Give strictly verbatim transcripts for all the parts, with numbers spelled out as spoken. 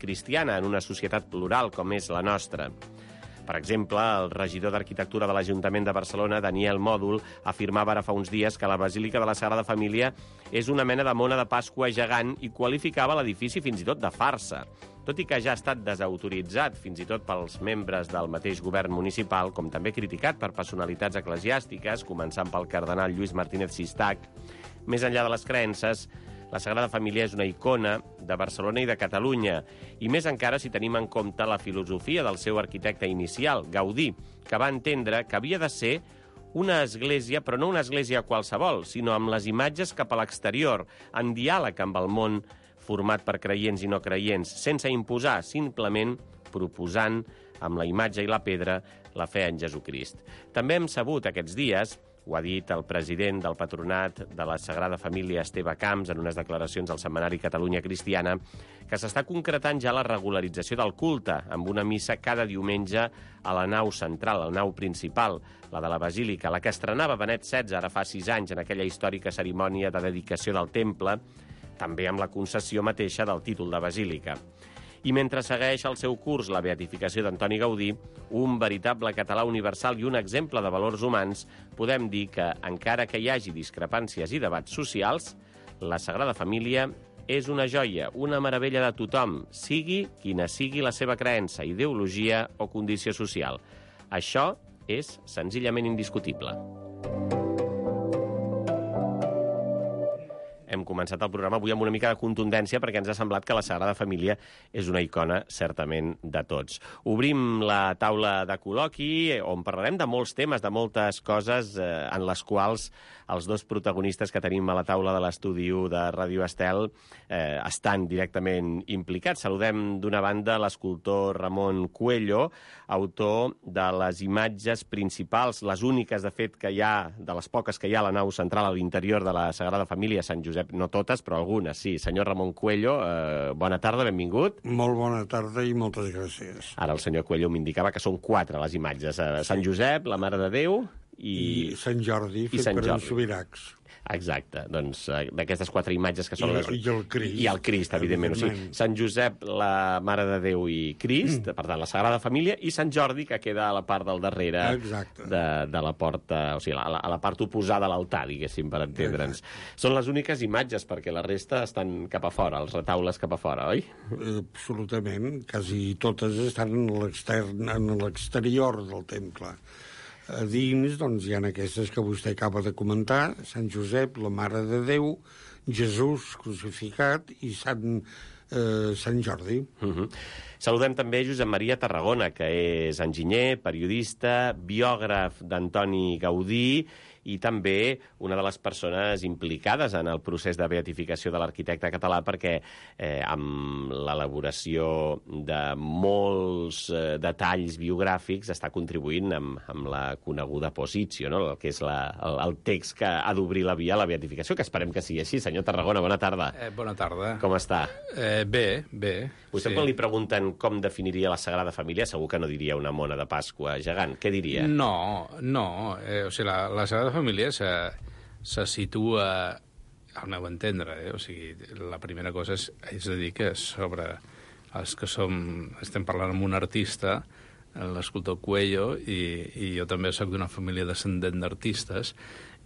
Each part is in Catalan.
cristiana en una societat plural com és la nostra. Per exemple, el regidor d'Arquitectura de l'Ajuntament de Barcelona, Daniel Mòdol, afirmava ara fa uns dies que la Basílica de la Sagrada Família és una mena de mona de Pasqua gegant i qualificava l'edifici fins i tot de farsa. Tot i que ja ha estat desautoritzat fins i tot pels membres del mateix govern municipal, com també criticat per personalitats eclesiàstiques, començant pel cardenal Lluís Martínez Sistac, més enllà de les creences, la Sagrada Família és una icona de Barcelona i de Catalunya, i més encara si tenim en compte la filosofia del seu arquitecte inicial, Gaudí, que va entendre que havia de ser una església, però no una església qualsevol, sinó amb les imatges cap a l'exterior, en diàleg amb el món format per creients i no creients, sense imposar, simplement proposant amb la imatge i la pedra la fe en Jesucrist. També hem sabut aquests dies, ho ha dit el president del Patronat de la Sagrada Família, Esteve Camps, en unes declaracions al setmanari Catalunya Cristiana, que s'està concretant ja la regularització del culte, amb una missa cada diumenge a la nau central, la nau principal, la de la Basílica, la que estrenava Benet setze ara fa sis anys en aquella històrica cerimònia de dedicació del temple, també amb la concessió mateixa del títol de Basílica. I mentre segueix el seu curs la beatificació d'Antoni Gaudí, un veritable català universal i un exemple de valors humans, podem dir que, encara que hi hagi discrepàncies i debats socials, la Sagrada Família és una joia, una meravella de tothom, sigui quina sigui la seva creença, ideologia o condició social. Això és senzillament indiscutible. Hem començat el programa avui amb una mica de contundència perquè ens ha semblat que la Sagrada Família és una icona, certament, de tots. Obrim la taula de col·loqui, on parlarem de molts temes, de moltes coses eh, en les quals els dos protagonistes que tenim a la taula de l'estudi de Ràdio Estel eh, estan directament implicats. Saludem d'una banda l'escultor Ramon Cuello, autor de les imatges principals, les úniques, de fet, que hi ha, de les poques que hi ha a la nau central a l'interior de la Sagrada Família, Sant Josep, no totes, però algunes, sí. Senyor Ramon Cuello, eh, bona tarda, benvingut. Molt bona tarda i moltes gràcies. Ara el senyor Cuello m'indicava que són quatre les imatges. Eh, Sant Josep, la Mare de Déu i... I Sant Jordi, fet Sant per Jordi. en Subiracs. Exacte, doncs d'aquestes quatre imatges que són I, les... I el Crist. I el Crist, evidentment. evidentment. O sigui, Sant Josep, la Mare de Déu i Crist, mm. per tant, la Sagrada Família, i Sant Jordi, que queda a la part del darrere de, de la porta, o sigui, a la, a la part oposada a l'altar, diguéssim, per entendre'ns. Exacte. Són les úniques imatges, perquè la resta estan cap a fora, els retaules cap a fora, oi? Absolutament, quasi totes estan en l'extern, en l'exterior del temple. A dins, doncs, hi ha aquestes que vostè acaba de comentar, Sant Josep, la Mare de Déu, Jesús crucificat i Sant, eh, Sant Jordi. Uh-huh. Saludem també Josep Maria Tarragona, que és enginyer, periodista, biògraf d'Antoni Gaudí i també una de les persones implicades en el procés de beatificació de l'arquitecte català, perquè eh, amb l'elaboració de molts eh, detalls biogràfics està contribuint amb, amb la coneguda posició, no? El que és la, el, el text que ha d'obrir la via a la beatificació, que esperem que sigui així. Senyor Tarragona, bona tarda. Eh, bona tarda. Com està? Eh, bé, bé. Vostè, sí. Quan li pregunten com definiria la Sagrada Família, segur que no diria una mona de Pasqua gegant. Què diria? No, no. Eh, o sigui, la, la Sagrada Família se, se situa, al meu entendre, eh? O sigui, la primera cosa és, és a dir que sobre els que som, estem parlant amb un artista, l'escultor Cuello, i, i jo també soc d'una família descendent d'artistes,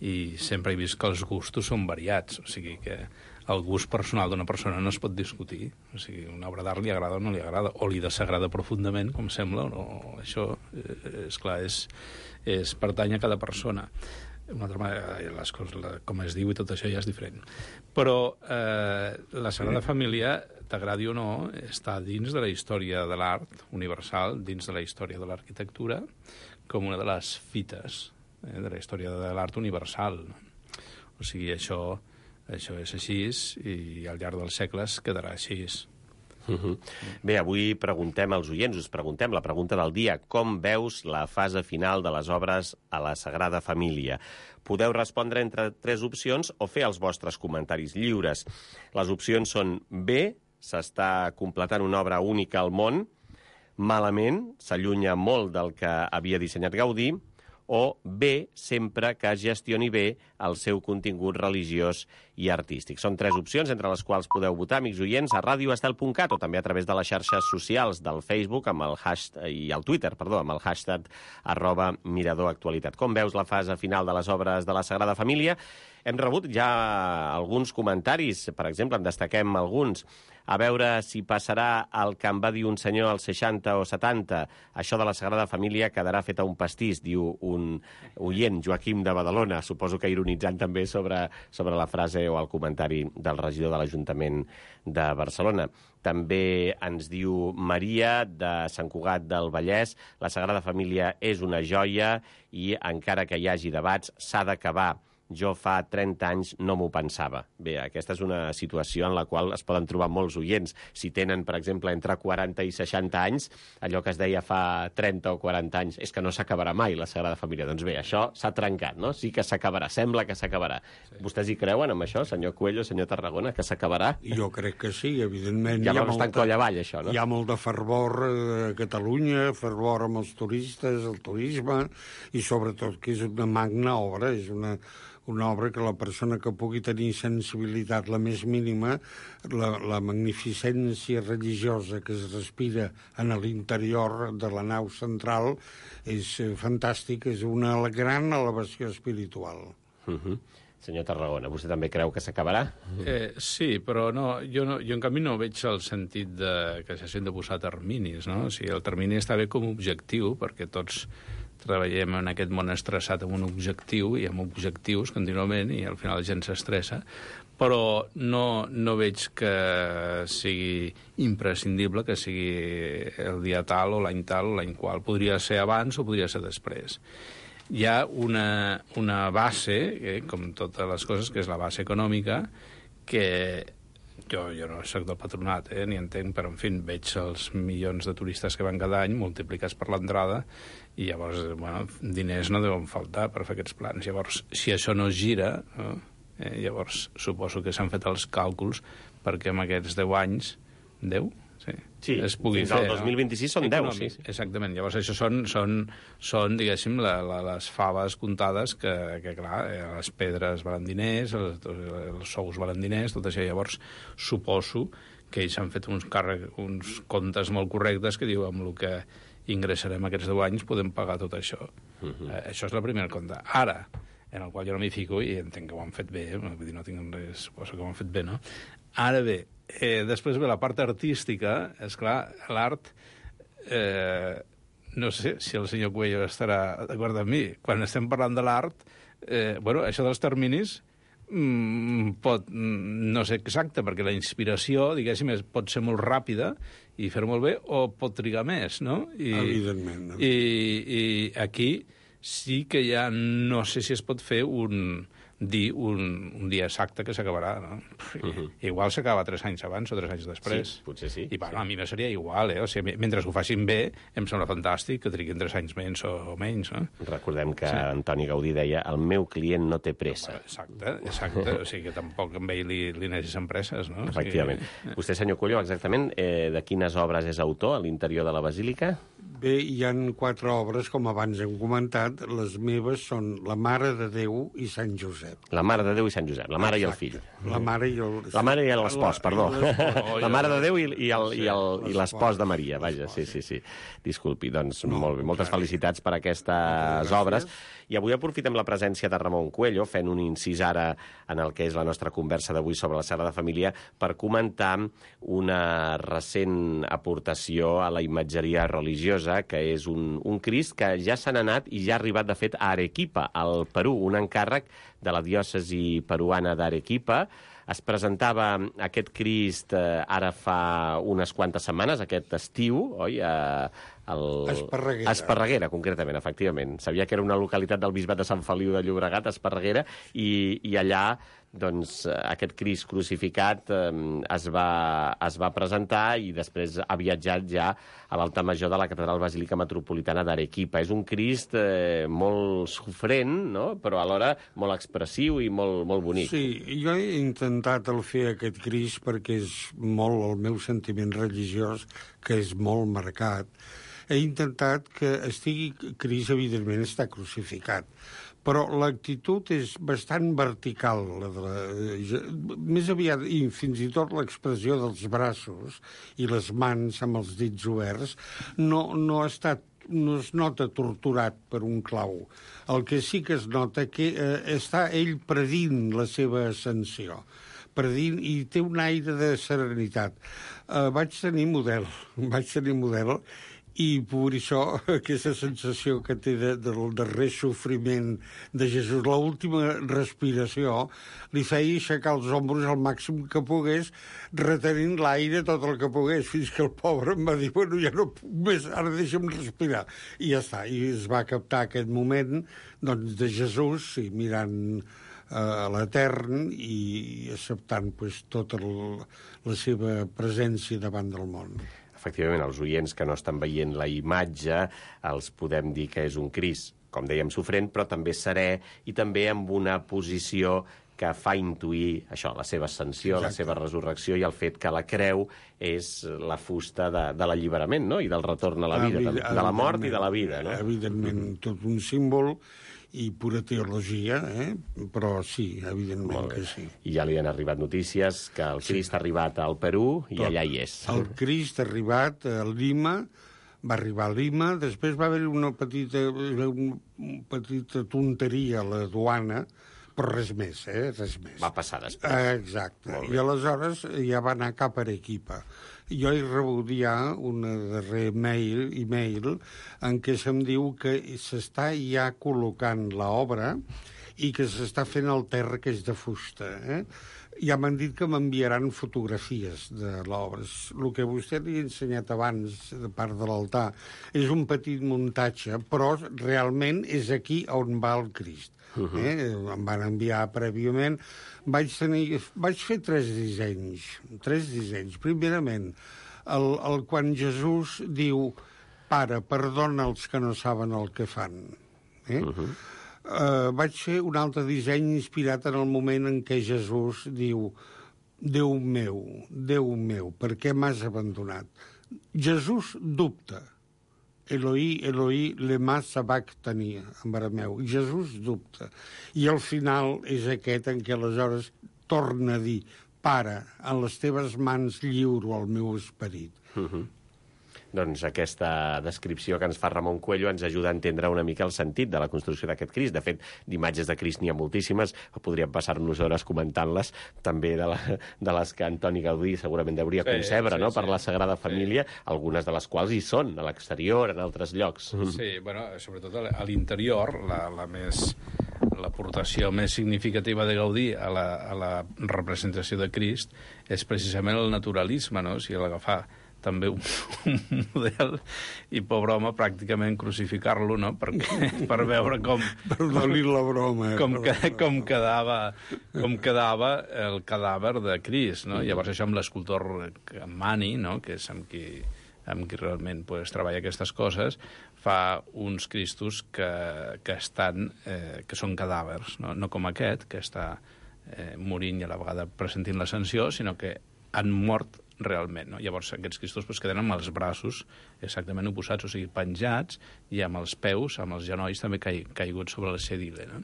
i sempre he vist que els gustos són variats, o sigui que el gust personal d'una persona no es pot discutir, o sigui, una obra d'art li agrada o no li agrada, o li desagrada profundament, com sembla, o no, això, eh, és clar, és, és pertany a cada persona. Una altra manera, les coses, la, com es diu i tot això ja és diferent. Però eh, la Sagrada Família, t'agradi o no, està dins de la història de l'art universal, dins de la història de l'arquitectura, com una de les fites eh, de la història de l'art universal. O sigui, això, això és així i al llarg dels segles quedarà així. Uh-huh. Bé, avui preguntem als oients, us preguntem la pregunta del dia: com veus la fase final de les obres a la Sagrada Família? Podeu respondre entre tres opcions o fer els vostres comentaris lliures. Les opcions són B, s'està completant una obra única al món, malament, s'allunya molt del que havia dissenyat Gaudí, o B, sempre que gestioni bé el seu contingut religiós i artístic. Són tres opcions entre les quals podeu votar, amics oients, a radio estel punt cat o també a través de les xarxes socials del Facebook amb el hashtag, i el Twitter, perdó, amb el hashtag arroba Mirador Actualitat. Com veus la fase final de les obres de la Sagrada Família? Hem rebut ja alguns comentaris, per exemple, en destaquem alguns. A veure si passarà el que em va dir un senyor als seixanta o setanta. Això de la Sagrada Família quedarà feta un pastís, diu un oient, Joaquim de Badalona, suposo que ironitzant també sobre, sobre la frase o el comentari del regidor de l'Ajuntament de Barcelona. També ens diu Maria, de Sant Cugat del Vallès, la Sagrada Família és una joia i encara que hi hagi debats s'ha d'acabar. Jo fa trenta anys no m'ho pensava. Bé, aquesta és una situació en la qual es poden trobar molts oients. Si tenen, per exemple, entre quaranta i seixanta anys, allò que es deia fa trenta o quaranta anys, és que no s'acabarà mai la Sagrada Família. Doncs bé, això s'ha trencat, no? Sí que s'acabarà, sembla que s'acabarà. Sí. Vostès hi creuen amb això, senyor Coelho, senyor Tarragona, que s'acabarà? Jo crec que sí, evidentment. Ja vam estar en coll avall, això, no? Hi ha molt de fervor a Catalunya, fervor amb els turistes, el turisme, i sobretot que és una magna obra, és una... una obra que la persona que pugui tenir sensibilitat la més mínima, la, la magnificència religiosa que es respira en l'interior de la nau central és fantàstic, és una gran elevació espiritual. Uh-huh. Senyor Tarragona, vostè també creu que s'acabarà? Eh, sí, però no, jo, no, jo en canvi no veig el sentit de, que s'hagin de posar terminis, no? O sigui, el termini està bé com a objectiu, perquè tots treballem en aquest món estressat amb un objectiu i amb objectius contínuament i al final la gent s'estressa, però no, no veig que sigui imprescindible que sigui el dia tal o l'any tal o l'any qual. Podria ser abans o podria ser després. Hi ha una, una base, eh, com totes les coses, que és la base econòmica, que jo, jo no soc del patronat, eh, ni entenc, però en fi, veig els milions de turistes que van cada any multiplicats per l'entrada i llavors, bueno, diners no deuen faltar per fer aquests plans. Llavors, si això no es gira, no? eh, llavors suposo que s'han fet els càlculs perquè en aquests deu anys, deu? Sí, sí, es pugui fins fer, al dos mil vint-i-sis són deu, sí. Exactament, llavors això són, són, són diguéssim, la, la, les faves comptades que, que clar, les pedres valen diners, els, els sous valen diners, tot això. Llavors suposo que ells han fet uns, càrrec, uns comptes molt correctes que diu amb el que ingressarem aquests deu anys podem pagar tot això. Uh-huh. eh, això és la primera compte. Ara, en el qual jo no m'hi fico i entenc que ho han fet bé, eh? Vull dir, no tinc res, suposo que ho han fet bé, no? Ara bé, eh, després ve la part artística, és clar, l'art, eh, no sé si el senyor Coelho estarà d'acord amb mi, quan estem parlant de l'art, eh, bueno, això dels terminis mm, pot no ser exacte, perquè la inspiració, diguéssim, és, pot ser molt ràpida i fer-ho molt bé, o pot trigar més, no? I, evidentment. No? I, I aquí sí que ja no sé si es pot fer un, dir un, un dia exacte que s'acabarà, no? Uh-huh. Igual s'acaba tres anys abans o tres anys després. Sí, potser sí. I, bueno, sí. a mi no seria igual, eh? O sigui, mentre ho facin bé, em sembla fantàstic que triguin tres anys menys o, o menys, no? Recordem que sí. Antoni Gaudí deia el meu client no té pressa. Exacte, exacte. O sigui que tampoc amb ell li, li necessiten presses, no? Efectivament. O sigui... Vostè, senyor Coelho, exactament eh, de quines obres és autor a l'interior de la Basílica? Bé, hi han quatre obres, com abans hem comentat. Les meves són La Mare de Déu i Sant Josep. La Mare de Déu i Sant Josep, la mare Exacte. i el fill. La mare i el... La mare i l'espòs, perdó. Oh, la Mare de Déu i, i, el, sí, i, el, i l'espòs de Maria, vaja, sí, sí, sí. Disculpi, doncs no, molt bé, moltes felicitats per aquestes obres. I avui aprofitem la presència de Ramon Coelho, fent un incís ara en el que és la nostra conversa d'avui sobre la Sagrada Família, per comentar una recent aportació a la imatgeria religiosa, que és un, un Crist que ja se n'ha anat i ja ha arribat, de fet, a Arequipa, al Perú, un encàrrec de la diòcesi peruana d'Arequipa. Es presentava aquest Crist eh, ara fa unes quantes setmanes, aquest estiu, oi? A, el... Esparreguera. Esparreguera, concretament, efectivament. Sabia que era una localitat del bisbat de Sant Feliu de Llobregat, Esparreguera, i, i allà doncs, aquest Crist crucificat eh, es, va, es va presentar i després ha viatjat ja a l'altar major de la Catedral Basílica Metropolitana d'Arequipa. És un Crist eh, molt sofrent, no? Però alhora molt expressiu i molt, molt bonic. Sí, jo he intentat el fer aquest Crist perquè és molt el meu sentiment religiós, que és molt marcat. he intentat que estigui... Crist, evidentment, està crucificat, però l'actitud és bastant vertical. La de la, més aviat, i fins i tot l'expressió dels braços i les mans amb els dits oberts, no, no ha estat no es nota torturat per un clau. El que sí que es nota que eh, està ell predint la seva ascensió, predint, i té un aire de serenitat. Eh, vaig tenir model, vaig tenir model, i per això aquesta sensació que té de, del darrer sofriment de Jesús, l'última respiració, li feia aixecar els ombros al màxim que pogués, retenint l'aire tot el que pogués, fins que el pobre em va dir, bueno, ja no puc més, ara deixa'm respirar. I ja està, i es va captar aquest moment doncs, de Jesús, i mirant eh, a l'Etern i acceptant pues, tota el, la seva presència davant del món. Efectivament, els oients que no estan veient la imatge els podem dir que és un Crist, com dèiem, sofrent, però també serè i també amb una posició que fa intuir això, la seva ascensió, Exacte. La seva resurrecció i el fet que la creu és la fusta de, de l'alliberament, no? I del retorn a la vida, Evid de la mort i de la vida. No? Evidentment, tot un símbol i pura teologia, eh? Però sí, evidentment que sí. I ja li han arribat notícies que el Crist sí. ha arribat al Perú i Tot. Allà hi és. El Crist ha arribat a Lima, va arribar a Lima, després va haver una petita, una petita tonteria a la duana, però res més, eh? Res més. Va passar després. Exacte. I aleshores ja va anar cap a Arequipa. Jo he rebut ja una darrer mail, e-mail en què se'm diu que s'està ja col·locant l'obra i que s'està fent el terra, que és de fusta. Eh? Ja m'han dit que m'enviaran fotografies de l'obra. El que vostè li ha ensenyat abans, de part de l'altar, és un petit muntatge, però realment és aquí on va el Crist. Uh -huh. eh? Em van enviar prèviament. Vaig, tenir, vaig fer tres dissenys. Tres dissenys. Primerament, el, el, quan Jesús diu Pare, perdona els que no saben el que fan. Eh? Uh -huh. uh, vaig fer un altre disseny inspirat en el moment en què Jesús diu Déu meu, Déu meu, per què m'has abandonat? Jesús dubta. Eloi, Eloi, lema sabachthani, en arameu. Jesús dubta. I al final és aquest en què aleshores torna a dir Pare, en les teves mans lliuro el meu esperit. Uh -huh. Doncs aquesta descripció que ens fa Ramon Cuello ens ajuda a entendre una mica el sentit de la construcció d'aquest Crist. De fet, d'imatges de Crist n'hi ha moltíssimes, podríem passar-nos hores comentant-les, també de, la, de les que Antoni Gaudí segurament hauria sí, concebre, sí, no? Sí. Per la Sagrada Família, sí. Algunes de les quals hi són, a l'exterior, en altres llocs. Sí, bueno, sobretot a l'interior, la, la més... l'aportació més significativa de Gaudí a la, a la representació de Crist és precisament el naturalisme, no? O sigui, l'agafar també un, un model i, pobre home, pràcticament crucificar-lo, no? Perquè, per veure com... Perdoni la broma. Com, que, com, quedava, com quedava el cadàver de Crist, no? Llavors això amb l'escultor Mani, no? Que és amb qui, amb qui realment pues, treballa aquestes coses, fa uns Cristos que, que, estan, eh, que són cadàvers, no? No com aquest, que està eh, morint i a la vegada presentint l'ascensió, sinó que han mort realment, no? Llavors aquests Cristos pues, queden amb els braços exactament oposats, o sigui, penjats, i amb els peus, amb els genolls també cai, caiguts sobre la sedile, no?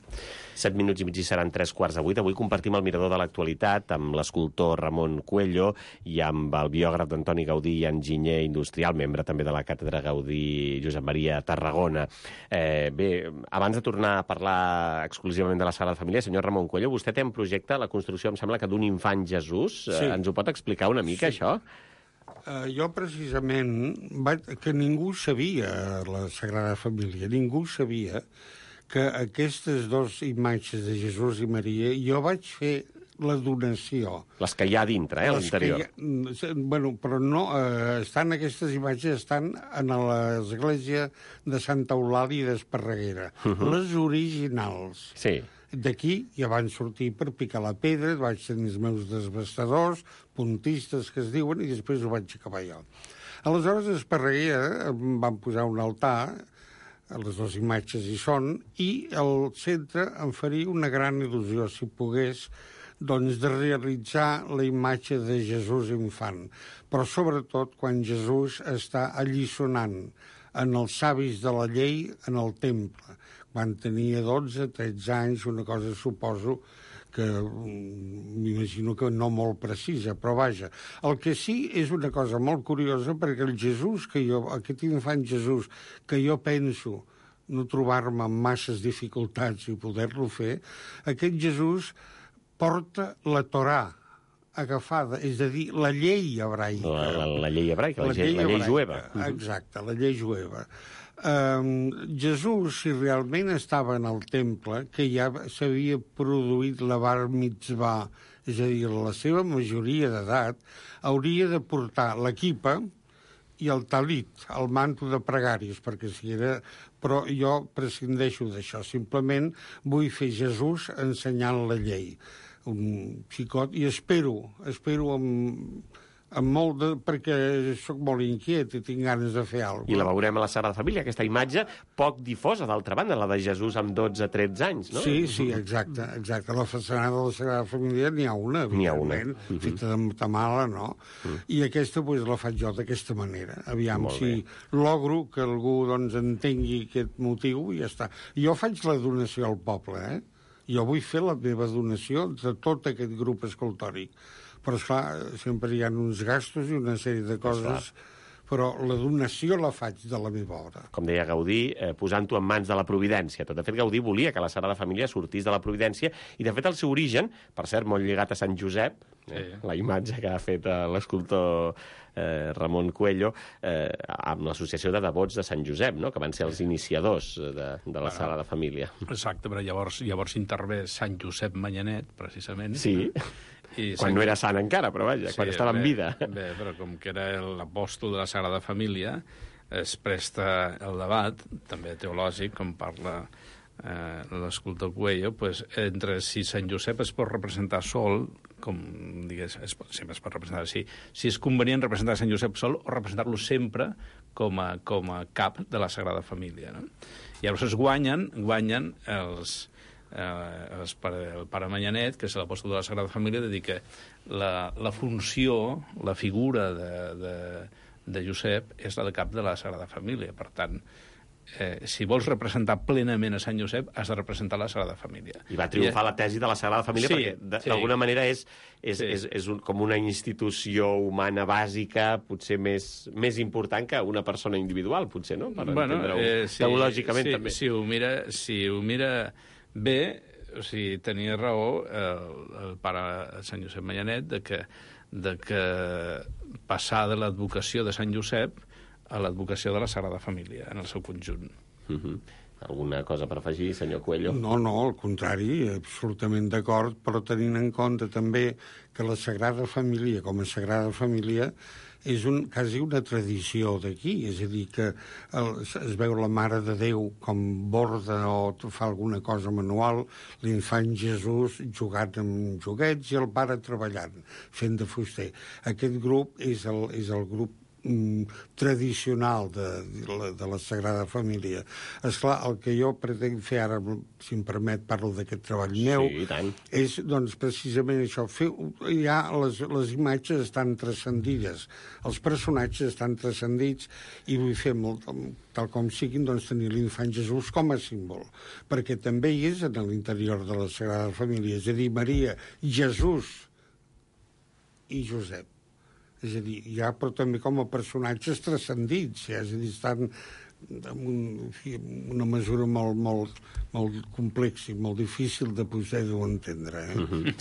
Set minuts i mig i seran tres quarts de vuit. Avui compartim el mirador de l'actualitat amb l'escultor Ramon Cuello i amb el biògraf d'Antoni Gaudí i enginyer industrial, membre també de la Càtedra Gaudí Josep Maria Tarragona. Eh, bé, abans de tornar a parlar exclusivament de la Sagrada Família, senyor Ramon Cuello, vostè té en projecte la construcció, em sembla que d'un infant Jesús. Sí. Eh, ens ho pot explicar una mica, sí. Això? Uh, jo, precisament, vaig, que ningú sabia, la Sagrada Família, ningú sabia que aquestes dues imatges de Jesús i Maria, jo vaig fer la donació. Les que hi ha dintre, eh, a l'interior. Ha, bueno, però no, eh, estan, aquestes imatges estan en l'església de Santa Eulàlia d'Esparreguera. Uh -huh. Les originals. Sí. D'aquí ja van sortir per picar la pedra, vaig tenir els meus desbastadors, puntistes que es diuen, i després ho vaig acabar jo. Aleshores, a Esparreguera em van posar un altar, les dues imatges hi són, i al centre em faria una gran il·lusió, si pogués, doncs, de realitzar la imatge de Jesús infant. Però, sobretot, quan Jesús està alliçonant en els savis de la llei en el temple. Quan tenia dotze, tretze anys, una cosa suposo que m'imagino que no molt precisa, però vaja. El que sí és una cosa molt curiosa, perquè el Jesús que jo, aquest infant Jesús, que jo penso no trobar-me amb masses dificultats i poder-lo fer, aquest Jesús porta la Torà agafada, és a dir, la llei hebraica. La, la, la llei hebraica, la, la, llei, la llei jueva. Exacte, la llei jueva. Um, Jesús, si realment estava en el temple, que ja s'havia produït la bar mitzvah, és a dir, la seva majoria d'edat, hauria de portar l'equipa i el talit, el manto de pregàries, perquè si era... Però jo prescindeixo d'això, simplement vull fer Jesús ensenyant la llei. Un xicot, i espero, espero amb... amb molt de... perquè sóc molt inquiet i tinc ganes de fer alguna cosa. I la veurem a la Sagrada Família, aquesta imatge poc difosa, d'altra banda, la de Jesús amb dotze a tretze anys, no? Sí, sí, exacte, exacte. A la façana de la Sagrada Família n'hi ha una, n'hi ha una. Uh-huh. Feta de matamala, no? Uh-huh. I aquesta, pues, la faig jo d'aquesta manera. Aviam si logro que algú, doncs, entengui aquest motiu i ja està. Jo faig la donació al poble, eh? Jo vull fer la meva donació de tot aquest grup escultòric. Però, esclar, sempre hi ha uns gastos i una sèrie de coses, però la donació la faig de la meva obra. Com deia Gaudí, eh, posant-ho en mans de la Providència. Tot de fet, Gaudí volia que la Sagrada Família sortís de la Providència, i de fet el seu origen, per cert, molt lligat a Sant Josep, eh, sí. La imatge que ha fet l'escultor eh, Ramon Cuello, eh, amb l'associació de devots de Sant Josep, no?, que van ser els iniciadors de, de la bueno, Sagrada Família. Exacte, però llavors, llavors intervé Sant Josep Manyanet, precisament. Sí. I quan Sant... no era sant encara, però vaja, sí, quan estava bé, en vida. Bé, però com que era l'apòstol de la Sagrada Família, es presta el debat, també teològic, com parla eh, l'escultor Cuello, pues, entre si Sant Josep es pot representar sol, com digués, es pot, sempre es pot representar, si, si és convenient representar Sant Josep sol o representar-lo sempre com a, com a cap de la Sagrada Família, no? I llavors es guanyen, guanyen els... Eh, el, pare, el pare Manyanet, que és l'apòstol de la Sagrada Família, dedica la, la funció, la figura de, de, de Josep és la de cap de la Sagrada Família. Per tant, eh, si vols representar plenament a Sant Josep, has de representar la Sagrada Família. I va triomfar I, la tesi de la Sagrada Família, sí, perquè d'alguna sí. manera és, és, sí. és, és un, com una institució humana bàsica, potser més, més important que una persona individual, potser, no? Per bueno, entendre-ho eh, sí, teològicament, sí, també. Si ho mira... Si ho mira bé, o sigui, tenia raó el, el pare Sant Josep Manyanet de que, de que passar de l'advocació de Sant Josep a l'advocació de la Sagrada Família en el seu conjunt. Uh-huh. Alguna cosa per afegir, senyor Cuello? No, no, al contrari, absolutament d'acord, però tenint en compte també que la Sagrada Família, com a Sagrada Família, és un, quasi una tradició d'aquí, és a dir, que el, es veu la Mare de Déu com borda o fa alguna cosa manual, l'infant Jesús jugant amb joguets i el pare treballant, fent de fuster. Aquest grup és el, és el grup mm, tradicional de, de, la, de la Sagrada Família. Esclar, el que jo pretenc fer ara, si em permet, parlo d'aquest treball meu, sí, tant. És doncs, precisament això. Fer, ja les, les imatges estan transcendides, els personatges estan transcendits i vull fer, molt, tal com siguin, doncs, tenir l'infant Jesús com a símbol, perquè també hi és en l'interior de la Sagrada Família, és a dir, Maria, Jesús i Josep. És a dir, ja, però també com a personatges transcendits, ja, és a dir, estan en un, una mesura molt, molt, molt complexa i molt difícil de poder-ho entendre. Eh? Uh-huh.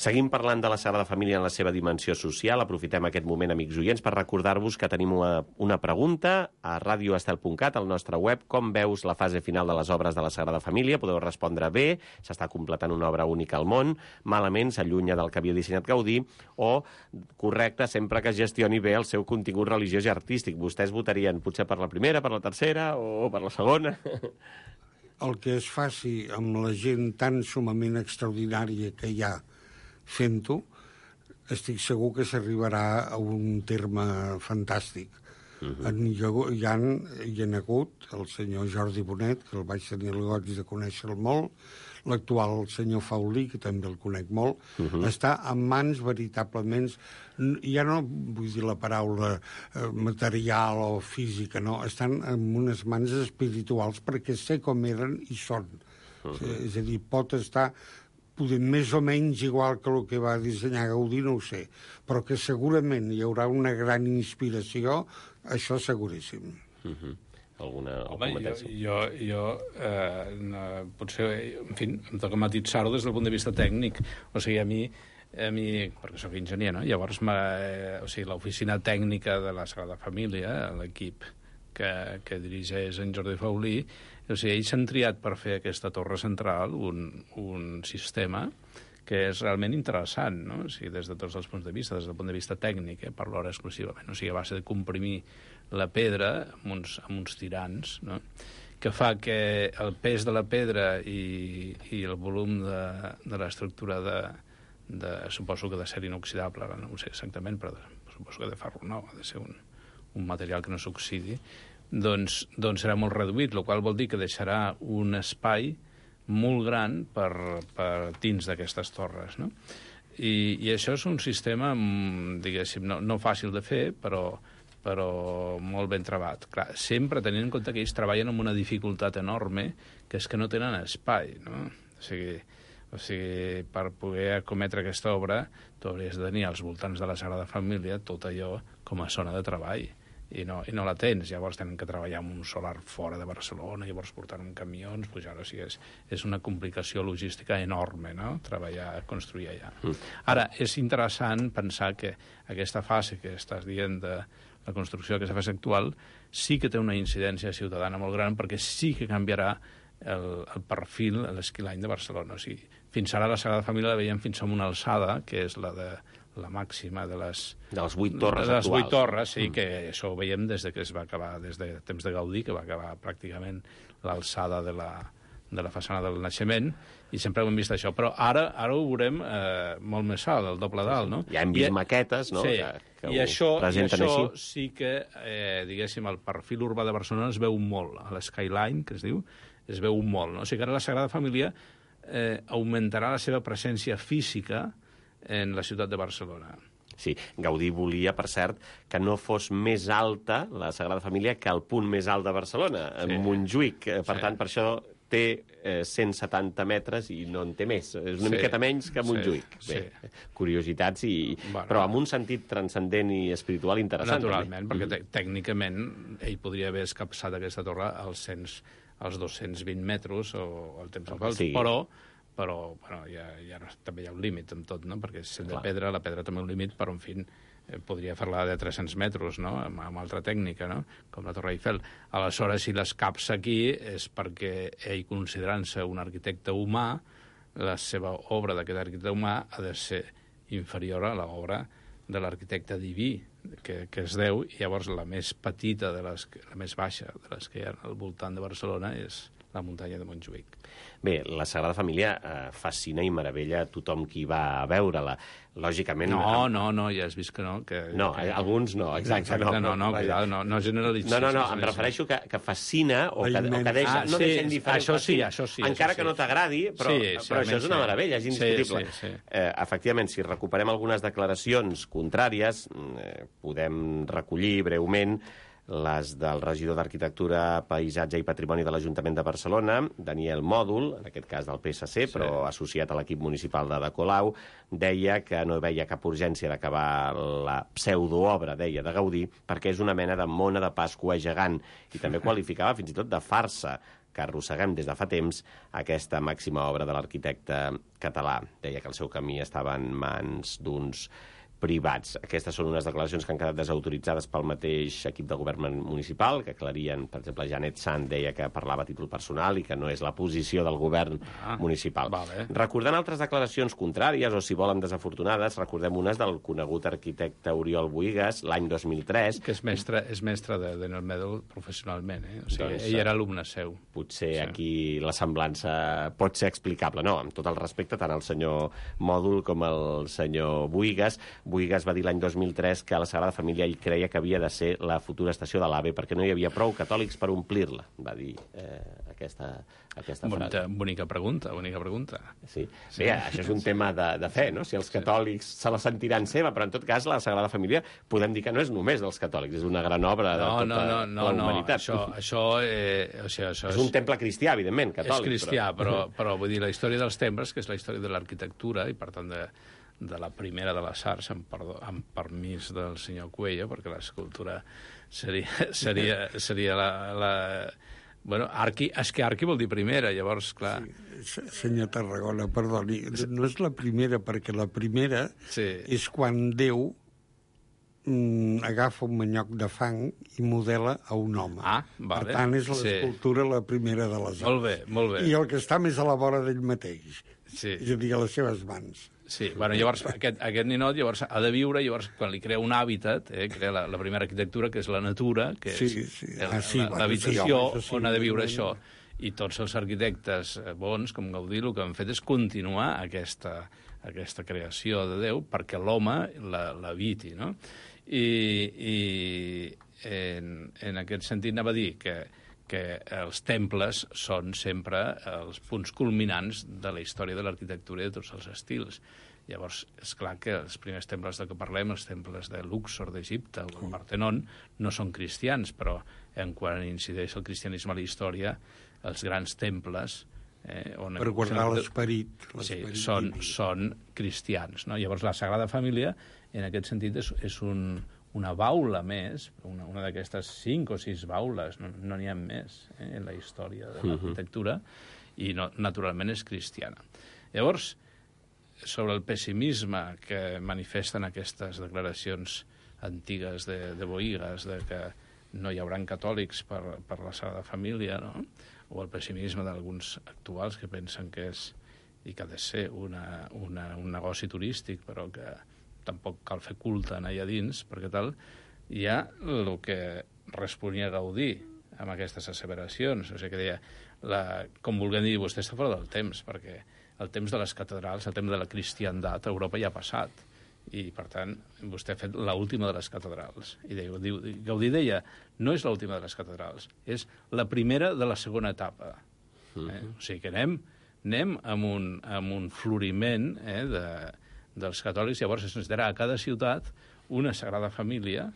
Seguim parlant de la Sagrada Família en la seva dimensió social. Aprofitem aquest moment, amics oients, per recordar-vos que tenim una, una pregunta a radio estel punt cat, al nostre web. Com veus la fase final de les obres de la Sagrada Família? Podeu respondre bé, s'està completant una obra única al món, malament, s'allunya del que havia dissenyat Gaudí, o correcte, sempre que gestioni bé el seu contingut religiós i artístic. Vostès votarien potser per la primera, per la tercera o per la segona? El que es faci amb la gent tan sumament extraordinària que hi ha fent-ho, estic segur que s'arribarà a un terme fantàstic. Uh-huh. en, hi, ha, hi, ha, hi ha hagut el senyor Jordi Bonet, que el vaig tenir el goig de conèixer molt, l'actual senyor Faulí, que també el conec molt, uh-huh. està en mans veritablement, ja no vull dir la paraula eh, material o física, no, estan en unes mans espirituals perquè sé com eren i són. Uh-huh. És a dir, pot estar poder més o menys igual que el que va dissenyar Gaudí, no ho sé, però que segurament hi haurà una gran inspiració, això seguríssim. Uh-huh. Alguna, Home, jo, jo, jo eh, no, potser, en fi, em toca matitzar-ho des del punt de vista tècnic. O sigui, a mi, a mi perquè sóc enginyer, no? Llavors, eh, o sigui, l'oficina tècnica de la Sagrada Família, l'equip que, que dirigeix en Jordi Faulí, o sigui, ells han triat per fer aquesta torre central un, un sistema que és realment interessant, no? O sigui, des de tots els punts de vista, des del punt de vista tècnic, eh, parlo ara exclusivament, o sigui, a base de comprimir la pedra amb uns, amb uns tirants, no? Que fa que el pes de la pedra i, i el volum de, de l'estructura de, de, suposo que de ser inoxidable, no ho sé exactament, però de, suposo que de ferro no, ha de ser un, un material que no s'oxidi, doncs, doncs serà molt reduït, el qual vol dir que deixarà un espai molt gran per, per dins d'aquestes torres, no? I, i això és un sistema, diguéssim, no, no fàcil de fer, però, però molt ben trebat. Clar, sempre tenint en compte que ells treballen amb una dificultat enorme, que és que no tenen espai, no? O sigui, o sigui per poder acometre aquesta obra, tu hauries de tenir als voltants de la Sagrada Família tot allò com a zona de treball. I no, i no la tens, llavors tenen que treballar amb un solar fora de Barcelona, llavors portar amb camions, pujar, o sigui, és, és una complicació logística enorme, no?, treballar, construir allà. Mm. Ara, és interessant pensar que aquesta fase que estàs dient de la construcció, aquesta fase actual, sí que té una incidència ciutadana molt gran, perquè sí que canviarà el, el perfil, l'esquilany de Barcelona. O sigui, fins ara la Sagrada Família la veiem fins a una alçada, que és la de la màxima de les... De les vuit torres de les actuals. vuit torres, sí, mm. que això ho veiem des de que es va acabar, des de temps de Gaudí, que va acabar pràcticament l'alçada de la, de la façana del naixement, i sempre ho hem vist això. Però ara ara ho veurem eh, molt més alt, el doble d'alt, no? Ja hem vist I, maquetes, no?, sí, que, que i això, i això així. sí que, eh, diguéssim, el perfil urbà de Barcelona es veu molt, a l'Skyline, que es diu, es veu molt, no? O sigui que ara la Sagrada Família eh, augmentarà la seva presència física en la ciutat de Barcelona. Sí, Gaudí volia, per cert, que no fos més alta la Sagrada Família que el punt més alt de Barcelona, sí. Montjuïc. Per sí. tant, per això té eh, cent setanta metres i no en té més. És una sí. miqueta menys que Montjuïc. Sí. Bé, sí. Curiositats, i... bueno, però amb un sentit transcendent i espiritual interessant. Naturalment, també. perquè mm. tècnicament ell podria haver escapçat aquesta torre als, cent, als dos-cents vint metres o el temps al sí. però però bueno, ja, ja no, també hi ha un límit en tot, no? Perquè si de pedra, la pedra també un límit, però en fi, eh, podria fer-la de tres-cents metres, no?, amb, amb altra tècnica, no?, com la Torre Eiffel. Aleshores, si l'escapça aquí és perquè ell, considerant-se un arquitecte humà, la seva obra d'aquest arquitecte humà ha de ser inferior a l'obra de l'arquitecte diví, que, que és Déu, i llavors la més petita, de les, la més baixa de les que hi ha al voltant de Barcelona és la muntanya de Montjuïc. Bé, la Sagrada Família eh, fascina i meravella a tothom qui va a veure-la. Lògicament... No, amb... no, no, ja has vist que no. Que, no, que... alguns no, exacte. exacte no, no, no, cuidado, no, no generalitzis. No, no, no, em refereixo que, que fascina o que, o que deixa, ah, no sí, deixa indiferent. Això sí, això sí. Encara això que sí. no t'agradi, però, sí, sí, però això és una meravella, és indiscutible. Sí, sí, sí. Eh, efectivament, si recuperem algunes declaracions contràries, eh, podem recollir breument les del regidor d'Arquitectura, Paisatge i Patrimoni de l'Ajuntament de Barcelona, Daniel Mòdul, en aquest cas del P S C, sí. però associat a l'equip municipal de De Colau, deia que no veia cap urgència d'acabar la pseudoobra, deia, de Gaudí, perquè és una mena de mona de Pasqua gegant, i també qualificava fins i tot de farsa que arrosseguem des de fa temps aquesta màxima obra de l'arquitecte català. Deia que el seu camí estava en mans d'uns privats. Aquestes són unes declaracions que han quedat desautoritzades pel mateix equip de govern municipal, que aclarien, per exemple, Janet Sant deia que parlava a títol personal i que no és la posició del govern ah, municipal. Vale. Recordant altres declaracions contràries, o si volen desafortunades, recordem unes del conegut arquitecte Oriol Bohigas, l'any dos mil tres. Que és mestre, és mestre de Daniel Mòdul professionalment, eh? O sigui, doncs, ell era alumne seu. Potser sí. aquí la semblança pot ser explicable. No, amb tot el respecte, tant al senyor Mòdul com al senyor Bohigas. Bohigas va dir l'any dos mil tres que la Sagrada Família ell creia que havia de ser la futura estació de l'AVE perquè no hi havia prou catòlics per omplir-la, va dir eh, aquesta, aquesta Bonica, frase. bonica pregunta, bonica pregunta. Sí. Bé, això és un tema de, de fe, no? Si els catòlics se la sentiran seva, però en tot cas la Sagrada Família podem dir que no és només dels catòlics, és una gran obra de no, tota no, no, no, la humanitat. No, això, això, eh, o sigui, això és, és un temple cristià, evidentment, catòlic. És cristià, però, però, però vull dir, la història dels temples, que és la història de l'arquitectura, i per tant de, de la primera de les arts, amb, perdó, amb permís del senyor Cuello, perquè l'escultura seria, seria, seria la... la bueno, arqui, és que arqui vol dir primera, llavors, clar... Sí, senyor Tarragona, perdoni, no és la primera, perquè la primera sí. és quan Déu mm, agafa un manyoc de fang i modela a un home. Ah, vale. Per tant, és l'escultura sí. la primera de les arts. Molt bé, molt bé. I el que està més a la vora d'ell mateix, sí. és a dir, a les seves mans. Sí, bueno, llavors aquest, aquest ninot llavors ha de viure, llavors quan li crea un hàbitat, eh, crea la, la primera arquitectura, que és la natura, que és sí, sí. Ah, sí, l'habitació bueno, sí, sí, on ha de viure sí, això. I tots els arquitectes bons, com Gaudí, el que han fet és continuar aquesta, aquesta creació de Déu perquè l'home l'habiti, no? I, i en, en aquest sentit anava a dir que que els temples són sempre els punts culminants de la història de l'arquitectura i de tots els estils. Llavors, és clar que els primers temples de què parlem, els temples de Luxor, d'Egipte, o el Partenon, no són cristians, però en quan incideix el cristianisme a la història, els grans temples... Eh, on per guardar l'esperit. Sí, són, són cristians. No? Llavors, la Sagrada Família, en aquest sentit, és, és un... una baula més, una, una d'aquestes cinc o sis baules, no n'hi no ha més eh, en la història de l'arquitectura, i no, naturalment és cristiana. Llavors, sobre el pessimisme que manifesten aquestes declaracions antigues de, de Bohigas, de que no hi haurà catòlics per, per la Sagrada Família, no? O el pessimisme d'alguns actuals que pensen que és, i que ha de ser una, una, un negoci turístic, però que tampoc cal fer culte en allà dins, perquè tal, hi ha el que responia Gaudí amb aquestes asseveracions. O sigui que deia, la, com vulguem dir, vostè està fora del temps, perquè el temps de les catedrals, el temps de la cristiandat a Europa ja ha passat. I, per tant, vostè ha fet l'última de les catedrals. I deia, diu, Gaudí deia, no és l'última de les catedrals, és la primera de la segona etapa. Eh? O sigui que anem, anem amb, un, amb un floriment eh, de... dels catòlics, llavors es necessitarà a cada ciutat una Sagrada Família,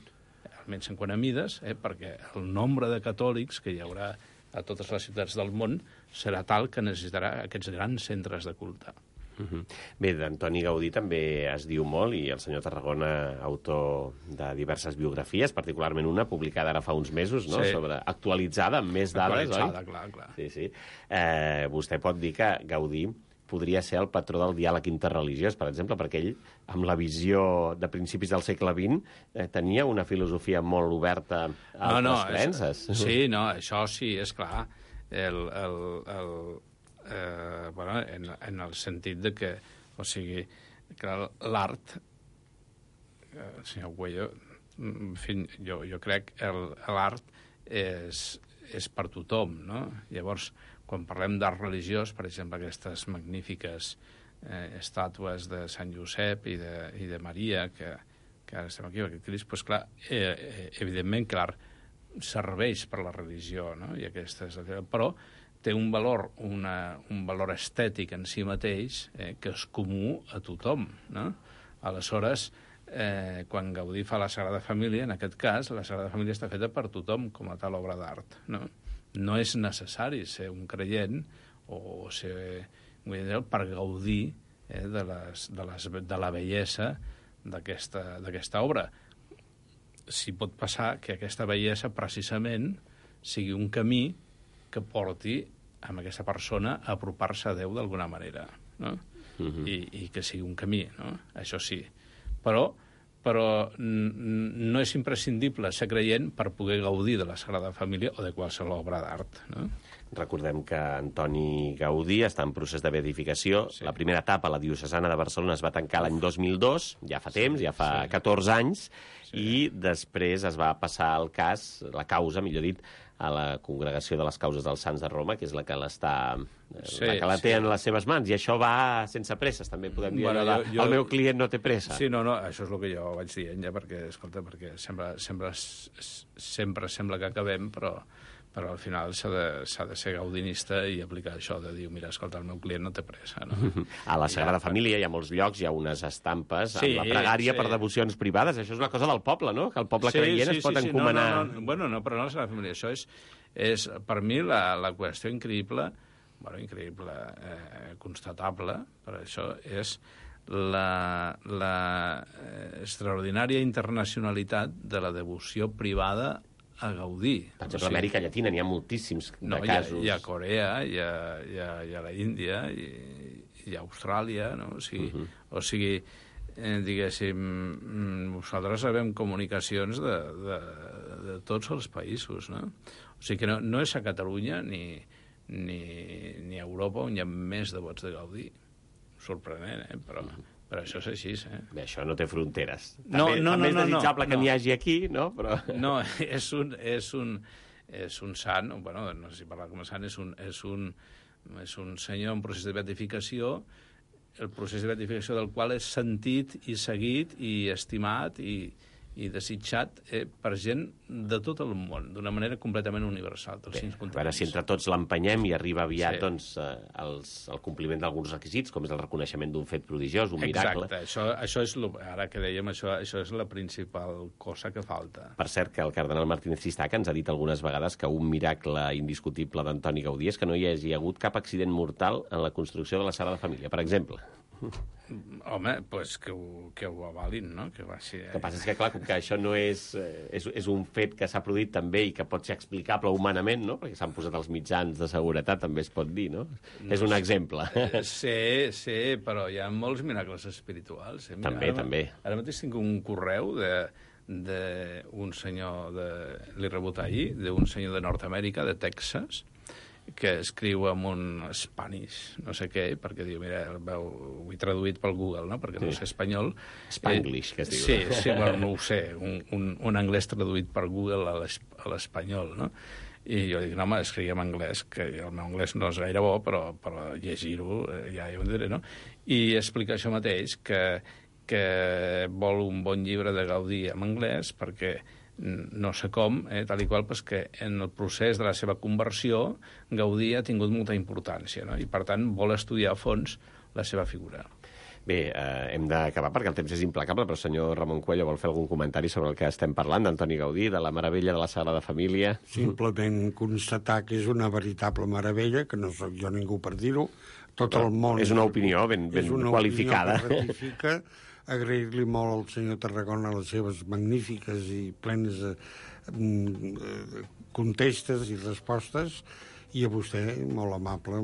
almenys en quant a mides, eh, perquè el nombre de catòlics que hi haurà a totes les ciutats del món serà tal que necessitarà aquests grans centres de culte. Uh-huh. Bé, d'Antoni Gaudí també es diu molt, i el senyor Tarragona, autor de diverses biografies, particularment una publicada ara fa uns mesos, no? Sí. Sobre, actualitzada, amb més dades, actualitzada, oi? Clar, clar. Sí, sí. Eh, vostè pot dir que Gaudí podria ser el patró del diàleg interreligiós, per exemple, perquè ell, amb la visió de principis del segle vint, eh, tenia una filosofia molt oberta a altres no, no, creences. És, sí, no, això sí, és clar. El, el, el, eh, bueno, en, en el sentit de que, o sigui, que l'art, eh, el senyor Cuello, en fi, jo, jo crec que l'art és, és per tothom, no? Llavors, quan parlem d'art religiós, per exemple, aquestes magnífiques eh, estàtues de Sant Josep i de, i de Maria, que, que ara estem aquí, aquest Crist, doncs clar, eh, evidentment que l'art serveix per la religió, no? I aquestes, però té un valor, una, un valor estètic en si mateix eh, que és comú a tothom, no? Aleshores, eh, quan Gaudí fa la Sagrada Família, en aquest cas, la Sagrada Família està feta per tothom com a tal obra d'art, no? No és necessari ser un creient o ser un creient per gaudir eh, de, les, de, les, de la bellesa d'aquesta obra. Si pot passar que aquesta bellesa precisament sigui un camí que porti a aquesta persona a apropar-se a Déu d'alguna manera, no? Uh-huh. I, i que sigui un camí, no? Això sí. Però però no és imprescindible ser creient per poder gaudir de la Sagrada Família o de qualsevol obra d'art, no? Recordem que Antoni Gaudí està en procés de beatificació. Sí. La primera etapa, la diocesana de Barcelona, es va tancar l'any dos mil dos, ja fa temps, sí, ja fa sí. catorze anys, sí. I després es va passar el cas, la causa, millor dit, a la Congregació de les Causes dels Sants de Roma, que és la que l'està sí, la que la té sí. en les seves mans, i això va sense presses, també podem dir, bueno, allò de, jo, el meu client no té pressa. Sí, no, no, això és el que jo vaig dient, ja, perquè, escolta, perquè sempre, sempre, sempre sembla que acabem, però, però al final s'ha de, s'ha de ser gaudinista i aplicar això de dir, mira, escolta, el meu client no té pressa. No? A la Sagrada ja, Família hi ha molts llocs, hi ha unes estampes sí, amb la pregària sí. per devocions privades. Això és una cosa del poble, no? Que el poble sí, creient sí, es pot sí, encomanar... No, no, no. Bueno, no, però no la Sagrada Família. Això és, és per mi, la, la qüestió increïble, bueno, increïble, eh, constatable, per això és la, la eh, extraordinària internacionalitat de la devoció privada a Gaudí. Per exemple, o sigui, a Amèrica Llatina n'hi ha moltíssims de no, casos. Hi ha, hi ha Corea, hi ha, hi ha, hi ha la Índia, hi, hi ha Austràlia, no? O sigui, uh -huh. o sigui eh, diguéssim, nosaltres sabem comunicacions de, de, de tots els països, no? O sigui que no, no és a Catalunya ni, ni, ni a Europa on hi ha més devots de Gaudí. Sorprenent, eh? Però... Uh -huh. Però això és així, eh? Bé, això no té fronteres. No, també, no, també no, és desitjable no, que no. n'hi hagi aquí, no? Però... No, és un, és un, és un sant, bueno, no sé si parlar com a sant, és un, és un, és un senyor en procés de beatificació, el procés de beatificació del qual és sentit i seguit i estimat i, i desitjat eh, per gent de tot el món, d'una manera completament universal. Bé, a veure si entre tots l'empenyem i arriba aviat sí. doncs, eh, els, el compliment d'alguns requisits, com és el reconeixement d'un fet prodigiós, un Exacte, miracle. Exacte, això, això és, lo, ara que dèiem, això, això és la principal cosa que falta. Per cert, que el cardenal Martínez Cistaca ens ha dit algunes vegades que un miracle indiscutible d'Antoni Gaudí és que no hi hagi hagut cap accident mortal en la construcció de la Sagrada Família, per exemple. Home, pues que ho, que ho avalin, no? Que va ser... El que passa és que, clar, com que això no és, és, és un fet que s'ha produït també i que pot ser explicable humanament, no? Perquè s'han posat els mitjans de seguretat, també es pot dir, no? no és un exemple. Sí, sí, però hi ha molts miracles espirituals. Eh? Mira, També, ara, també. Ara mateix tinc un correu de d'un senyor, de, l'he rebut ahir, d'un senyor de Nord-Amèrica, de Texas, que escriu amb un Spanish, no sé què, perquè diu, mira, el veu, ho he traduït pel Google, no?, perquè sí. no sé espanyol. Spanglish, eh, que es diu. Sí, sí, bueno, no ho sé, un, un, un anglès traduït per Google a l'espanyol, no? I jo dic, no, home, escrigui en anglès, que el meu anglès no és gaire bo, però, però llegir-ho ja ho diré, no? I explica això mateix, que, que vol un bon llibre de Gaudí en anglès, perquè no sé com, eh, tal i qual, pues que en el procés de la seva conversió Gaudí ha tingut molta importància, no? I per tant vol estudiar a fons la seva figura. Bé, eh, hem d'acabar perquè el temps és implacable, però el senyor Ramon Cuello vol fer algun comentari sobre el que estem parlant d'Antoni Gaudí, de la meravella de la Sagrada Família. Simplement constatar que és una veritable meravella, que no sóc jo ningú per dir-ho, tot el món... És una opinió ben, ben és una qualificada. Opinió que ratifica. Agrair-li molt al senyor Tarragona les seves magnífiques i plenes eh, contestes i respostes, i a vostè, molt amable,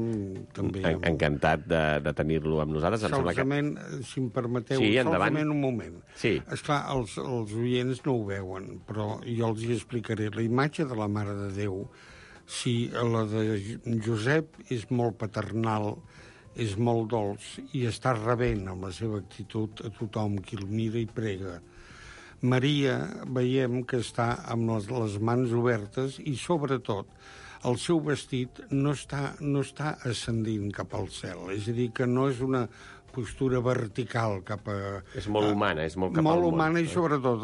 també. En, encantat de, de tenir-lo amb nosaltres. Solament, que... si em permeteu, sí, solament un moment. Sí. Esclar, els, els oients no ho veuen, però jo els hi explicaré. La imatge de la Mare de Déu, si la de Josep és molt paternal, és molt dolç i està rebent amb la seva actitud a tothom qui el mira i prega. Maria veiem que està amb les, les mans obertes i, sobretot, el seu vestit no està, no està ascendint cap al cel. És a dir, que no és una postura vertical cap a... És molt humana, és molt cap molt al món. Molt humana i, sobretot,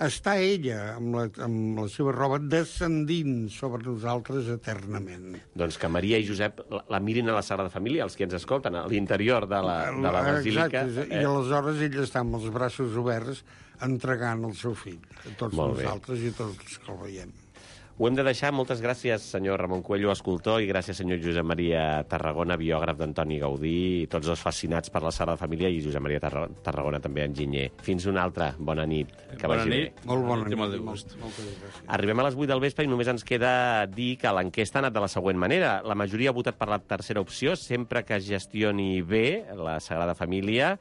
està ella amb la, amb la seva roba descendint sobre nosaltres eternament. Doncs que Maria i Josep la, la mirin a la Sagrada Família, els que ens escolten, a l'interior de la, de la basílica. Exacte, eh? I aleshores ell està amb els braços oberts entregant el seu fill a tots molt nosaltres bé. I a tots els que el veiem. Ho hem de deixar. Moltes gràcies, senyor Ramon Cuello, escultor, i gràcies, senyor Josep Maria Tarragona, biògraf d'Antoni Gaudí, tots dos fascinats per la Sagrada Família, i Josep Maria Tarragona, també enginyer. Fins una altra. Bona nit. Que bona vagi nit. Bé. Molt bona nit. Molt molt, Arribem a les vuit del vespre i només ens queda dir que l'enquesta ha anat de la següent manera. La majoria ha votat per la tercera opció, sempre que es gestioni bé la Sagrada Família,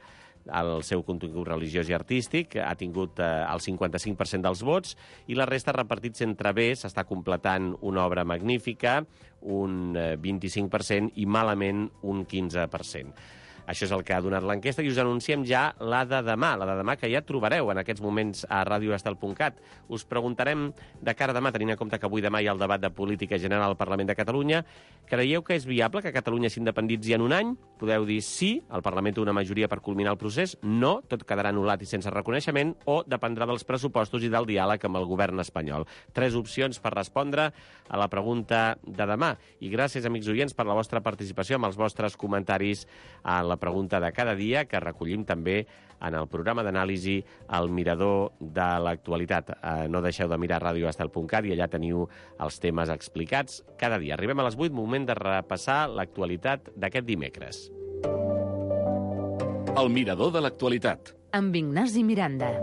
el seu contingut religiós i artístic, ha tingut eh, el cinquanta-cinc per cent dels vots, i la resta repartits entre bé, s'està completant una obra magnífica, un eh, vint-i-cinc per cent, i malament un quinze per cent. Això és el que ha donat l'enquesta i us anunciem ja la de demà, la de demà que ja trobareu en aquests moments a radio estel punt cat. Us preguntarem de cara a demà, tenint en compte que avui demà hi ha el debat de política general al Parlament de Catalunya, creieu que és viable que Catalunya s'independitzi en un any? Podeu dir sí, el Parlament té una majoria per culminar el procés, no, tot quedarà anul·lat i sense reconeixement, o dependrà dels pressupostos i del diàleg amb el govern espanyol. Tres opcions per respondre a la pregunta de demà. I gràcies, amics oients, per la vostra participació amb els vostres comentaris a la pregunta de cada dia, que recollim també en el programa d'anàlisi El Mirador de l'Actualitat. Eh, no deixeu de mirar radio estel punt cat i allà teniu els temes explicats cada dia. Arribem a les vuit, moment de repassar l'actualitat d'aquest dimecres. El Mirador de l'Actualitat. Amb Ignasi Miranda.